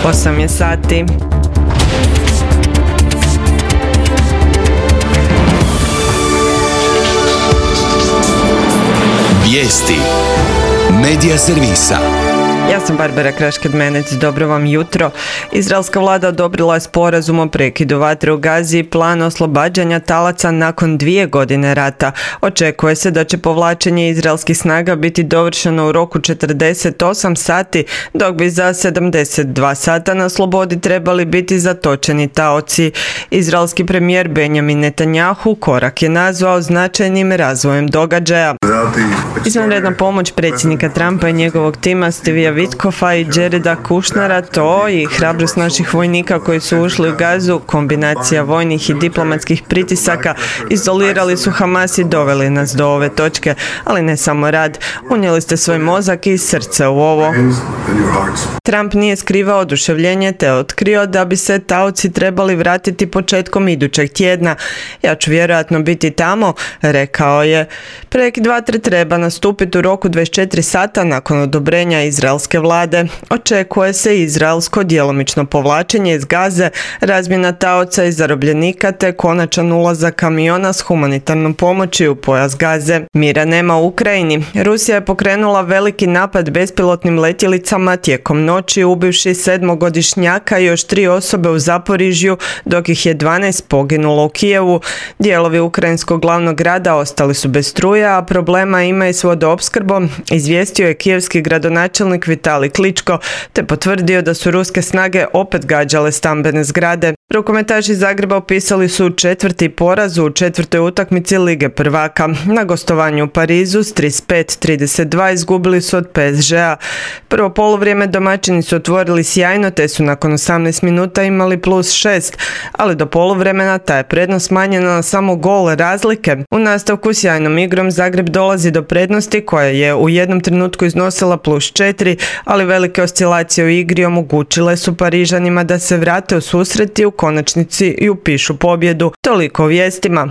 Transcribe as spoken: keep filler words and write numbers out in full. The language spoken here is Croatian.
osam je sati. Vijesti Medija servisa. Ja sam Barbara Krašked-Menec, dobro vam jutro. Izraelska vlada odobrila je sporazum o prekidu vatre u Gazi i plan oslobađanja talaca nakon dvije godine rata. Očekuje se da će povlačenje izraelskih snaga biti dovršeno u roku četrdeset osam sati, dok bi za sedamdeset dva sata na slobodi trebali biti zatočeni taoci. Izraelski premijer Benjamin Netanjahu korak je nazvao značajnim razvojem događaja. Izvanredna pomoć predsjednika Trumpa i njegovog tima Stevija Witkofa i Jareda Kushnera, to i hrabrost naših vojnika koji su ušli u Gazu, kombinacija vojnih i diplomatskih pritisaka, izolirali su Hamas i doveli nas do ove točke, ali ne samo rad, unijeli ste svoj mozak i srce u ovo. Trump nije skrivao oduševljenje te otkrio da bi se taoci trebali vratiti početkom idućeg tjedna. Ja ću vjerojatno biti tamo, rekao je. Prekid vatre treba nastupiti u roku dvadeset četiri sata nakon odobrenja izraelske vlade. Očekuje se izraelsko djelomično povlačenje iz Gaze, razmjena taoca i zarobljenika te konačan ulazak kamiona s humanitarnom pomoći u pojas Gaze. Mira nema u Ukrajini. Rusija je pokrenula veliki napad bespilotnim letjelicama tijekom noći, ubivši sedmogodišnjaka i još tri osobe u Zaporižju, dok ih je dvanaest poginulo u Kijevu. Dijelovi ukrajinskog glavnog grada ostali su bez struje, a problema ima i s vodoopskrbom, izvijestio je kijevski gradonačelnik Vitali Kličko, te potvrdio da su ruske snage opet gađale stambene zgrade. Rukometaši Zagreba opisali su četvrti poraz u četvrtoj utakmici Lige prvaka. Na gostovanju u Parizu s trideset pet trideset dva izgubili su od P S G-a. Prvo poluvrijeme domaćini su otvorili sjajno, te su nakon osamnaest minuta imali plus šest, ali do poluvremena ta je prednost smanjena na samo gol razlike. U nastavku sjajnom igrom Zagreb dolazi do prednosti koja je u jednom trenutku iznosila plus četiri, ali velike oscilacije u igri omogućile su Parižanima da se vrate u susret i u konačnici i upišu pobjedu. Toliko o vijestima.